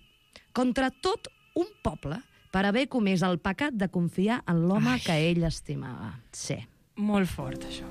contra tot un poble per haver comès el pecat de confiar en l'home que ell estimava. Sí. Molt fort, això.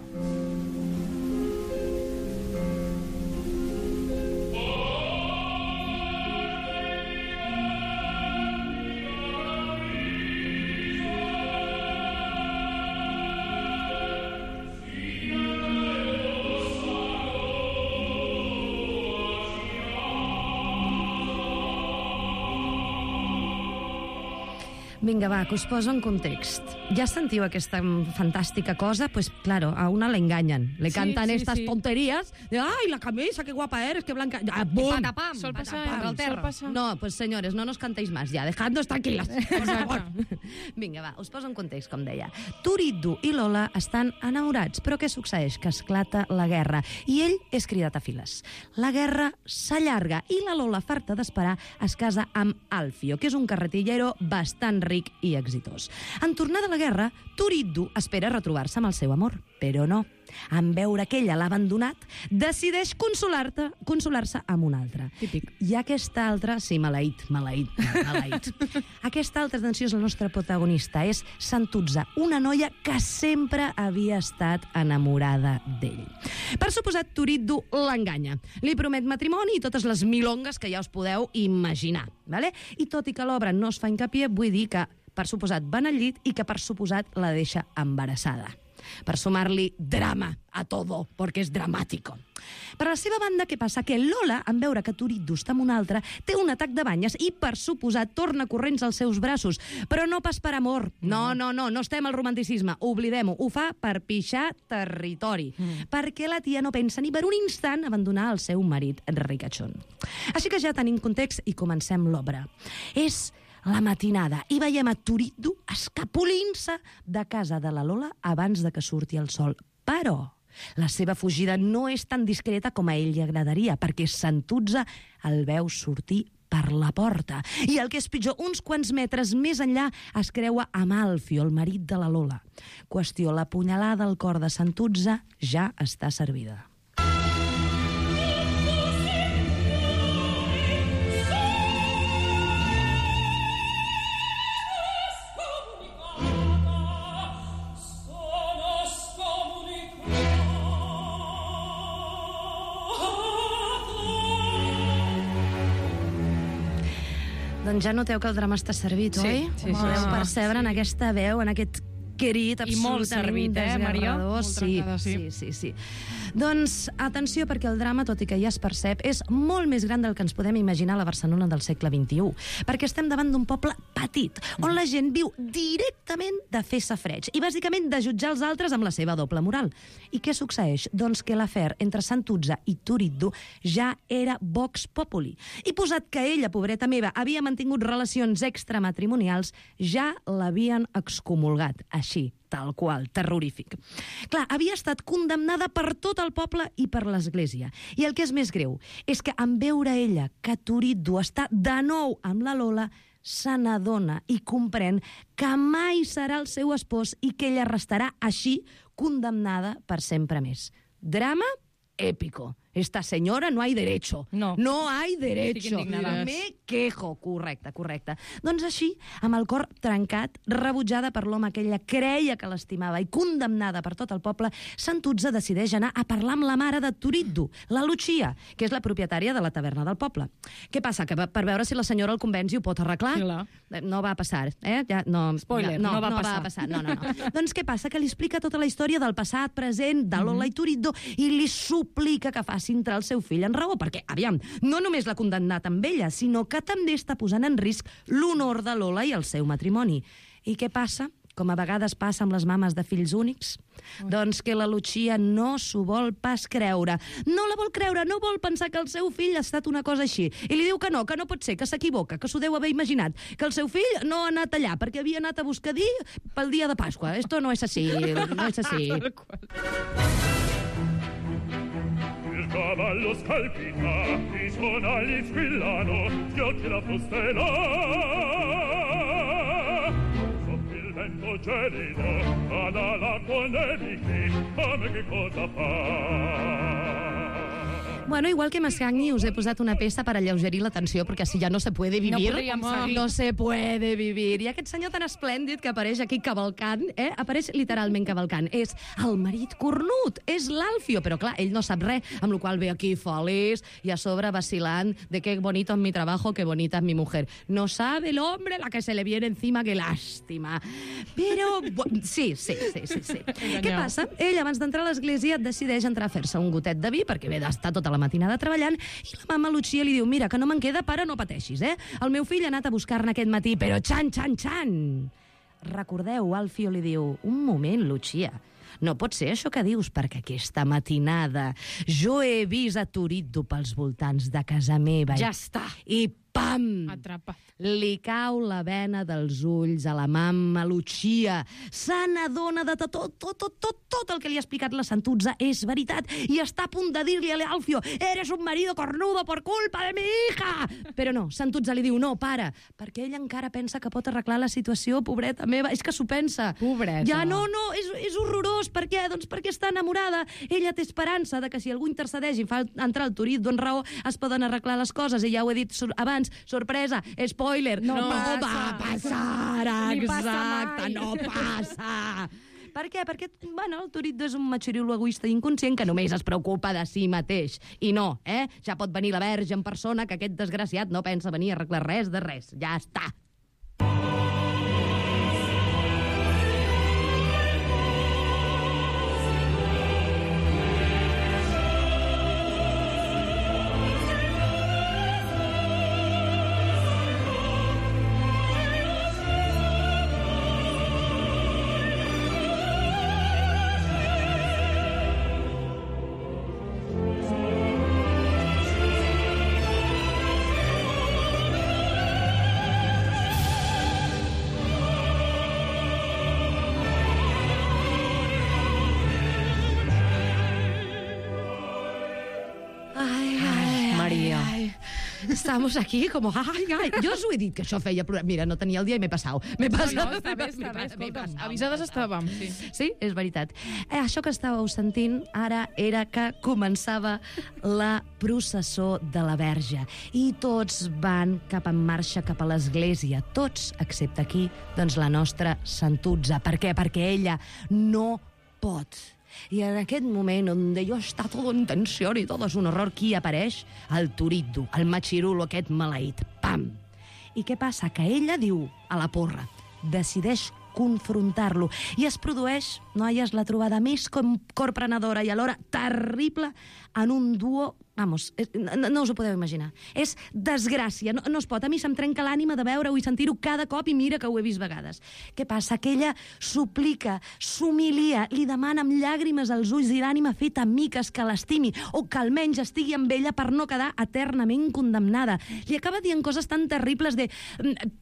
Vinga, va, que us poso en context. Ja sentiu aquesta fantàstica cosa? Pues claro, a una le engañan. Le Sí, cantan sí, estas sí. tonterías. De, ay, la camisa, qué guapa eres, qué blanca... Ah, ¡bum! Patapam, Sol passar, patapam, sol terra. passar. No, pues señores, no nos cantéis más ya, dejadnos tranquilas, por favor. Vinga, va, us poso en context, com deia. Turiddu i Lola estan enamorats, però què succeeix? Que esclata la guerra i ell és cridat a files. La guerra s'allarga i la Lola, farta d'esperar, es casa amb Alfio, que és un carretillero bastant ric i exitós. En tornar de la guerra, Turiddu espera retrobar-se amb el seu amor, però no. En veure que ella l'ha abandonat, decideix consolar-te, consolar-se amb un altre. Típic. I aquesta altra, sí, maleït, maleït, maleït. Aquesta altra, atenció, és la nostra protagonista. És Santuzza, una noia que sempre havia estat enamorada d'ell. Per suposat, Turiddu l'enganya. Li promet matrimoni i totes les milongues que ja us podeu imaginar. Vale? I tot i que l'obra no es fa hincapié, vull dir que, per suposat, van al llit i que, per suposat, la deixa embarassada. Per sumar-li drama a todo, perquè és dramàtico. Per la seva banda, què passa? Que Lola, en veure que Turiddu està amb un altre, té un atac de banyes i, per suposat, torna corrents als seus braços. Però no pas per amor. No, no, no, no estem al romanticisme. Oblidem-ho. Ho fa per pixar territori. Mm. Perquè la tia no pensa ni per un instant abandonar el seu marit ricachón. Així que ja tenim context i comencem l'obra. És la matinada i veiem a Turiddu escapolint-se de casa de la Lola abans de que surti el sol. Però la seva fugida no és tan discreta com a ell li agradaria, perquè Santuzza el veu sortir per la porta. I el que és pitjor, uns quants metres més enllà es creua amb Alfio, el marit de la Lola. Qüestió, la punyalada al cor de Santuzza ja està servida. Doncs ja noteu que el drama està servit, Sí, oi? sí, sí, Podeu sí. percebre en aquesta veu, en aquest crit I molt absolutament servit, eh, Maria? desgarrador. Molt Sí, trencada, sí. sí, sí, sí. Doncs atenció, perquè el drama, tot i que ja es percep, és molt més gran del que ens podem imaginar a la Barcelona del segle vint-i-u, perquè estem davant d'un poble petit, on la gent viu directament de fer safreig i bàsicament de jutjar els altres amb la seva doble moral. I què succeeix? Doncs que l'afer entre Santuzza i Turiddu ja era vox populi. I posat que ella, pobreta meva, havia mantingut relacions extramatrimonials, ja l'havien excomulgat. Així, tal qual, terrorífic. Clar, havia estat condemnada per tot el poble i per l'Església. I el que és més greu és que en veure ella que Turiddu està de nou amb la Lola, se n'adona i comprèn que mai serà el seu espòs i que ella restarà així condemnada per sempre més. Drama épico. Esta senyora no hay derecho. No. No hay derecho. Estic indignada. Me quejo. Correcte, correcte. Doncs així, amb el cor trencat, rebutjada per l'home que ella creia que l'estimava i condemnada per tot el poble, Santuzza decideix anar a parlar amb la mare de Turiddu, la Lucia, que és la propietària de la taverna del poble. Què passa? Que per veure si la senyora el convenç i ho pot arreglar? Clar. No va passar, eh? Ja, no, Spoiler, no, no va no passar. va passar. No, no, no. Doncs què passa? Que li explica tota la història del passat, present, de Lola i Turiddu i li suplica que faci entrar el seu fill en raó, perquè, aviam, no només l'ha condemnat amb ella, sinó que també està posant en risc l'honor de Lola i el seu matrimoni. I què passa? Com a vegades passa amb les mames de fills únics, doncs que la Lucia no s'ho vol pas creure. No la vol creure, no vol pensar que el seu fill ha estat una cosa així. I li diu que no, que no pot ser, que s'equivoca, que s'ho deu haver imaginat, que el seu fill no ha anat allà perquè havia anat a buscadir pel dia de Pasqua. Esto no és així, no és així. Il cavallo scalpita, i sonagli squillano, schiocchi la frustela. Soffia il vento gelido, vada l'acqua nevichi, a me che cosa fa? Bueno, igual que Mascagni, us he posat una peça per alleugerir la tensió, perquè si ja no se puede vivir, No podríem seguir. no se puede vivir. I aquest senyor tan esplèndid que apareix aquí cavalcant, eh? apareix literalment cavalcant. És el marit cornut, és l'Alfio, però clar, ell no sap res, amb la qual ve aquí feliç i a sobre vacilant de qué bonito es mi trabajo, qué bonita es mi mujer. No sabe el hombre la que se le viene encima, que lástima. Però, sí, sí, sí, sí. sí. Què passa? Ell, abans d'entrar a l'església, decideix entrar a fer-se un gotet de vi, perquè ve d'estar tota la matinada treballant i la mama Lucia li diu, mira, que no me'n queda, pare, no pateixis, eh? El meu fill ha anat a buscar-ne aquest matí, però xan, xan, xan! Recordeu, Alfio li diu, un moment, Lucia, no pot ser això que dius, perquè aquesta matinada jo he vist a Turiddu pels voltants de casa meva. Ja està. I pam! Atrapat. Li cau la vena dels ulls a la mamma Lucia. Se n'adona de tot, tot, tot, tot, tot el que li ha explicat la Santuzza és veritat i està a punt de dir-li a l'Alfio «Eres un marido cornudo por culpa de mi hija!» Però no, Santuzza li diu «No, para», perquè ella encara pensa que pot arreglar la situació, pobreta meva. És que s'ho pensa. Pobreta. Ja, no, no, és, és horrorós. Per què? Doncs perquè està enamorada. Ella té esperança de que si algú intercedeix i fa entrar el Turit d'on raó es poden arreglar les coses. I ja ho he dit abans, sorpresa, spoiler, no, no passa. va passar, Ni passa exacte, mai. no passa. Per què? Perquè, bueno, el Turiddu és un matxoriulo egoista i inconscient que només es preocupa de si mateix. I no, eh? Ja pot venir la verge en persona, que aquest desgraciat no pensa venir a arreglar res de res. Ja està. Estamos aquí como... Ai, ai. Jo us ho he dit, que això feia plorar. Mira, no tenia el dia i m'he passat. M'he passat. No, no, està bé, està bé, escolta'm. Avisades estàvem, sí. Sí, és veritat. Eh, això que estàveu sentint ara era que començava la processó de la Verge i tots van cap en marxa cap a l'església. Tots, excepte aquí, doncs la nostra Santuzza. Per què? Perquè ella no pot. I en aquest moment on jo està tot en tensió i tot és un horror, qui apareix? El Turiddu, el matxirulo aquest maleït. Pam! I què passa? Que ella diu a la porra, decideix confrontar-lo i es produeix, noies, la trobada més corprenedora i alhora terrible en un duo. Vamos, no, no us ho podeu imaginar. És desgràcia, no, no es pot. A mi se'm trenca l'ànima de veure-ho i sentir-ho cada cop i mira que ho he vist vegades. Què passa? Que ella suplica, s'humilia, li demana amb llàgrimes als ulls i l'ànima feta miques que l'estimi o que almenys estigui amb ella per no quedar eternament condemnada. Li acaba dient coses tan terribles de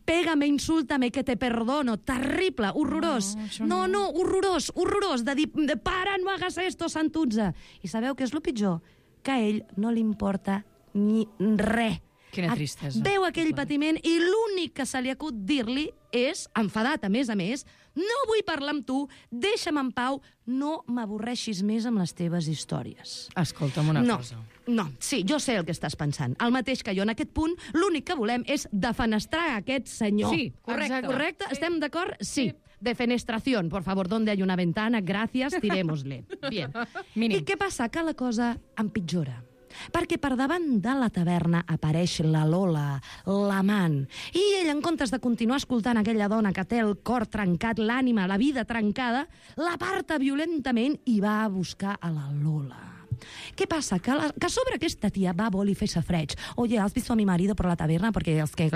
pégame, insúltame, que te perdono. Terrible, horrorós. No, no, no, horrorós, horrorós, de dir, para, no hagas esto, Santuzza. I sabeu què és el pitjor? Que a ell no li importa ni res. Quina tristesa. Veu aquell patiment i l'únic que se li acut dir-li és, enfadat a més a més, no vull parlar amb tu, deixa'm en pau, no m'avorreixis més amb les teves històries. Escolta'm una no, cosa. No, sí, jo sé el que estàs pensant. El mateix que jo en aquest punt, l'únic que volem és defenestrar aquest senyor. Sí, correcte. Correcte? Sí. Estem d'acord? Sí. sí. Defenestración, por favor, donde hay una ventana, gracias, tirémosle. Bien. Mínim. I què passa? Que la cosa empitjora. Perquè per davant de la taverna apareix la Lola, l'amant, i ell, en comptes de continuar escoltant aquella dona que té el cor trencat, l'ànima, la vida trencada, l'aparta violentament i va a buscar a la Lola. ¿Qué pasa? Que, la, que sobre aquesta tia va a voler fer safreig. Oye, ¿has visto a mi marido por la taberna? Porque es que...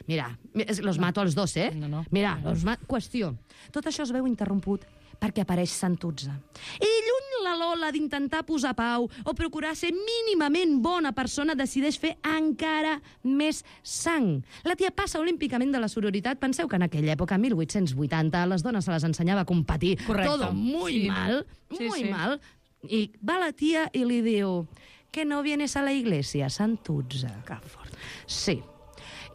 Mira, los mato als dos, eh? No, no. Mira, los mato... Qüestió. Tot això es veu interromput perquè apareix Santuzza. I lluny la Lola d'intentar posar pau o procurar ser mínimament bona persona decideix fer encara més sang. La tia passa olímpicament de la sororitat. Penseu que en aquella època, mil vuit-cents vuitanta, les dones se les ensenyava a competir. Correcte. Todo muy Sí. mal, Sí, muy sí. mal. I va la tia i li diu que no vienes a la iglesia, Santuzza. Que fort. Sí.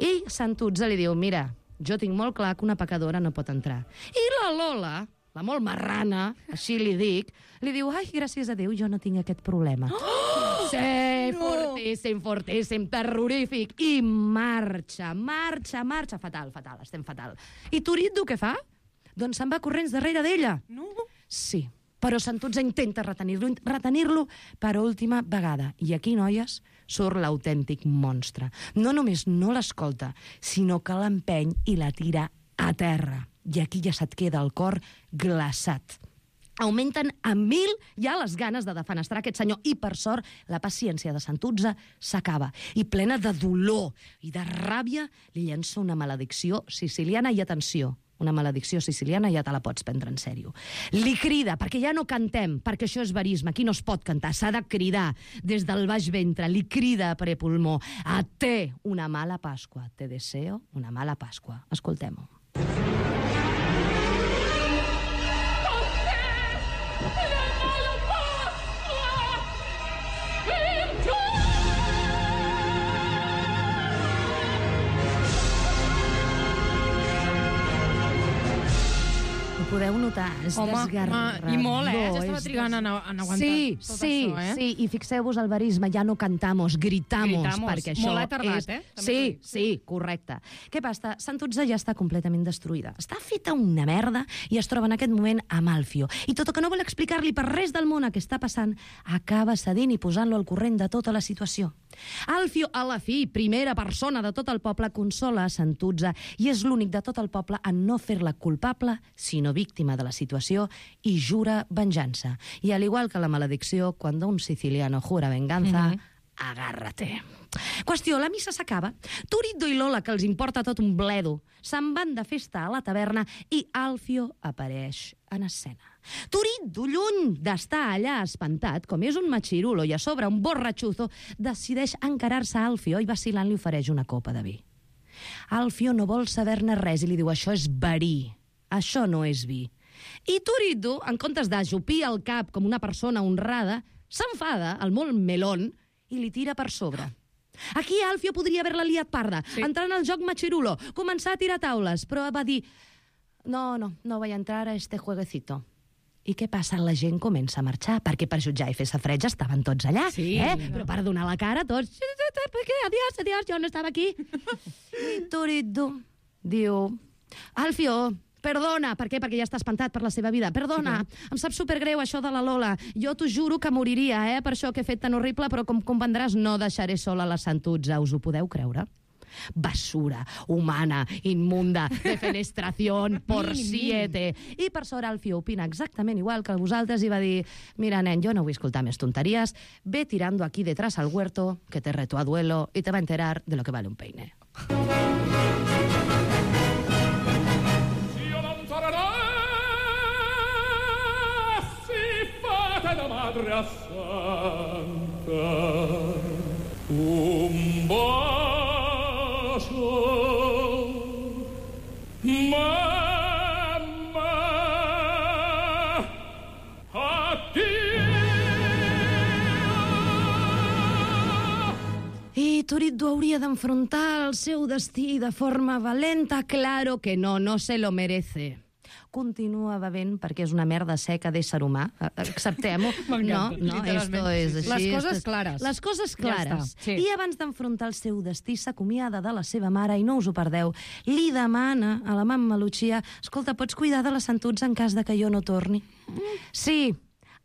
I Santuzza li diu, mira, jo tinc molt clar que una pecadora no pot entrar. I la Lola, la molt marrana, així li dic, li diu, ai, gràcies a Déu, jo no tinc aquest problema. Oh! Sí, no! fortíssim, fortíssim, terrorífic. I marxa, marxa, marxa. Fatal, fatal, estem fatal. I Turiddu què fa? Doncs se'n va corrents darrere d'ella. No? Sí. Però Santuzza intenta retenir-lo retenir-lo per última vegada. I aquí, noies, surt l'autèntic monstre. No només no l'escolta, sinó que l'empeny i la tira a terra. I aquí ja se't queda el cor glaçat. augmenten a mil ja les ganes de defenestrar aquest senyor. I, per sort, la paciència de Santuzza s'acaba. I plena de dolor i de ràbia, li llença una maledicció siciliana. I, atenció, una maledicció siciliana ja te la pots prendre en sèrio. Li crida, perquè ja no cantem, perquè això és verisme, aquí no es pot cantar, s'ha de cridar des del baix ventre, li crida a prepulmó: a te una mala Pasqua, te deseo una mala Pasqua. Escoltem-ho. Podeu notar, és Home, desgarrador. home, i molt, eh? Ja estava és trigant en, en aguantar sí, tot sí, això, eh? Sí, i fixeu-vos el verisme, ja no cantamos, gritamos, Gritamos. perquè això Molt ha tardat, és... eh? També Sí, t'ho dic. sí, correcte. Què passa? Santuzza ja està completament destruïda. Està feta una merda i es troba en aquest moment amb Alfio. I tot el que no vol explicar-li per res del món què està passant, acaba cedint i posant-lo al corrent de tota la situació. Alfio, a la fi, primera persona de tot el poble, consola a Santuzza i és l'únic de tot el poble en no fer-la culpable, sinó víctima de la situació, i jura venjança. I al igual que la maledicció, quan un siciliano jura venganza, mm-hmm. agárrate. Qüestió, la missa s'acaba. Turiddu i Lola, que els importa tot un bledo, se'n van de festa a la taverna i Alfio apareix en escena. Turiddu, lluny d'estar allà espantat, com és un machirulo i a sobre un borratxuzo, decideix encarar-se a Alfio i vacilant li ofereix una copa de vi. Alfio no vol saber-ne res i li diu: això és verí, això no és vi. I Turiddu, en comptes d'ajupir el cap com una persona honrada, s'enfada, el molt melón, i li tira per sobre. Aquí Alfio podria haver-la liat parda, sí. entrar en el joc machirulo, començar a tirar taules, però va dir: no, no, no vaig entrar a este jueguecito. I què passa? La gent comença a marxar, perquè per jutjar i fer safreig estaven tots allà, sí, eh? no. Però per donar la cara tots... Adiós, adiós, jo no estava aquí. I Turiddu diu: Alfio, perdona. Per què? Perquè ja està espantat per la seva vida. Perdona, sí, em sap supergreu això de la Lola. Jo t'ho juro que moriria, eh, per això que he fet tan horrible, però com comprendràs no deixaré sola la Santuzza. Us ho podeu creure? Basura humana, inmunda, defenestración por siete. I per sort Alfio opina exactament igual que vosaltres i va dir: mira, nen, jo no vull escoltar més tonteries, ve tirando aquí detrás al huerto, que te reto a duelo y te va a enterar de lo que vale un peine. Madre Santa, un bacio, mamma, addio. I Turiddu hauria d'enfrontar el seu destí de forma valenta. Claro que no, no se lo merece. Continua bevent perquè és una merda seca d'ésser humà. Acceptem-ho. No, no, esto és així. Les coses esto... clares. Les coses clares. Ja sí. I abans d'enfrontar el seu destí s'acomiada de la seva mare i no us ho perdeu. Li demana a la mamma Lucia: escolta, pots cuidar de la Santuzza en cas de que jo no torni? Sí.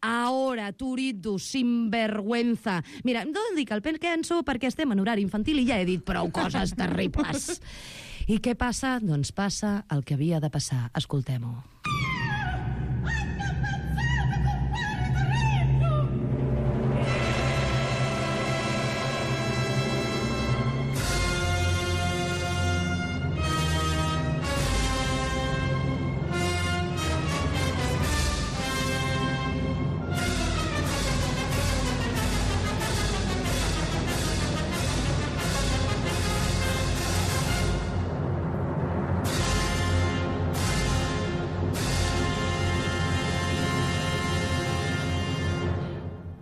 Ahora, Turiddu, sinvergüenza. Mira, no dic el penso perquè estem en horari infantil i ja he dit prou coses terribles. I què passa? Doncs passa el que havia de passar. Escoltem-ho.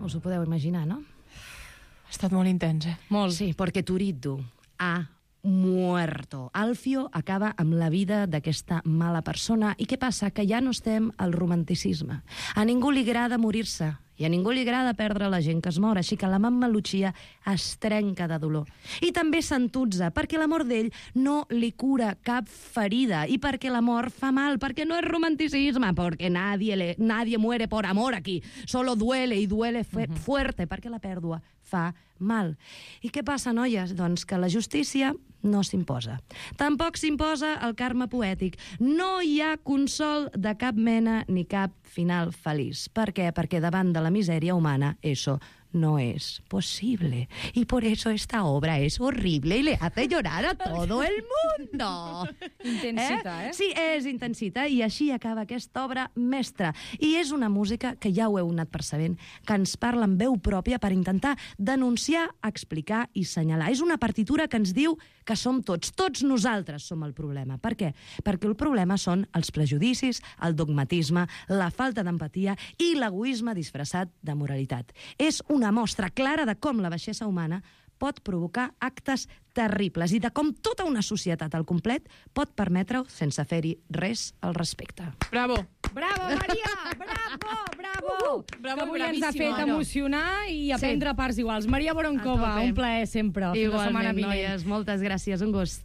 Us ho podeu imaginar, no? Ha estat molt intens, eh? Molt. Sí, perquè Turiddu ha muerto. Alfio acaba amb la vida d'aquesta mala persona. I què passa? Que ja no estem al romanticisme. A ningú li agrada morir-se. I a ningú li agrada perdre la gent que es mor, així que la mamma Lucia es trenca de dolor. I també Santuzza, perquè la mort d'ell no li cura cap ferida, i perquè la mort fa mal, perquè no és romanticisme, perquè nadie, le, nadie muere por amor aquí, solo duele, i duele fu uh-huh. fuerte, perquè la pèrdua fa mal. I què passa, noies? Doncs que la justícia no s'imposa. Tampoc s'imposa el karma poètic. No hi ha consol de cap mena ni cap final feliç. Per què? Perquè davant de la misèria humana, eso no es posible. Y por eso esta obra es horrible y le hace llorar a todo el mundo. Intensita, eh? eh? Sí, és intensita, i així acaba aquesta obra mestra. I és una música que ja ho heu anat percebent, que ens parla en veu pròpia per intentar denunciar, explicar i senyalar. És una partitura que ens diu que som tots, tots nosaltres som el problema. Per què? Perquè el problema són els prejudicis, el dogmatisme, la falta d'empatia i l'egoisme disfressat de moralitat. És una mostra clara de com la baixesa humana pot provocar actes terribles i de com tota una societat al complet pot permetre-ho sense fer-hi res al respecte. Bravo! Bravo, Maria! Bravo, bravo! Uh, bravo, que avui ens ha bravíssima, fet no? emocionar i aprendre Sí. parts iguals. Maria Boronkova, A tope. un plaer sempre. Fins la setmana Igualment, vinent. noies, moltes gràcies, un gust.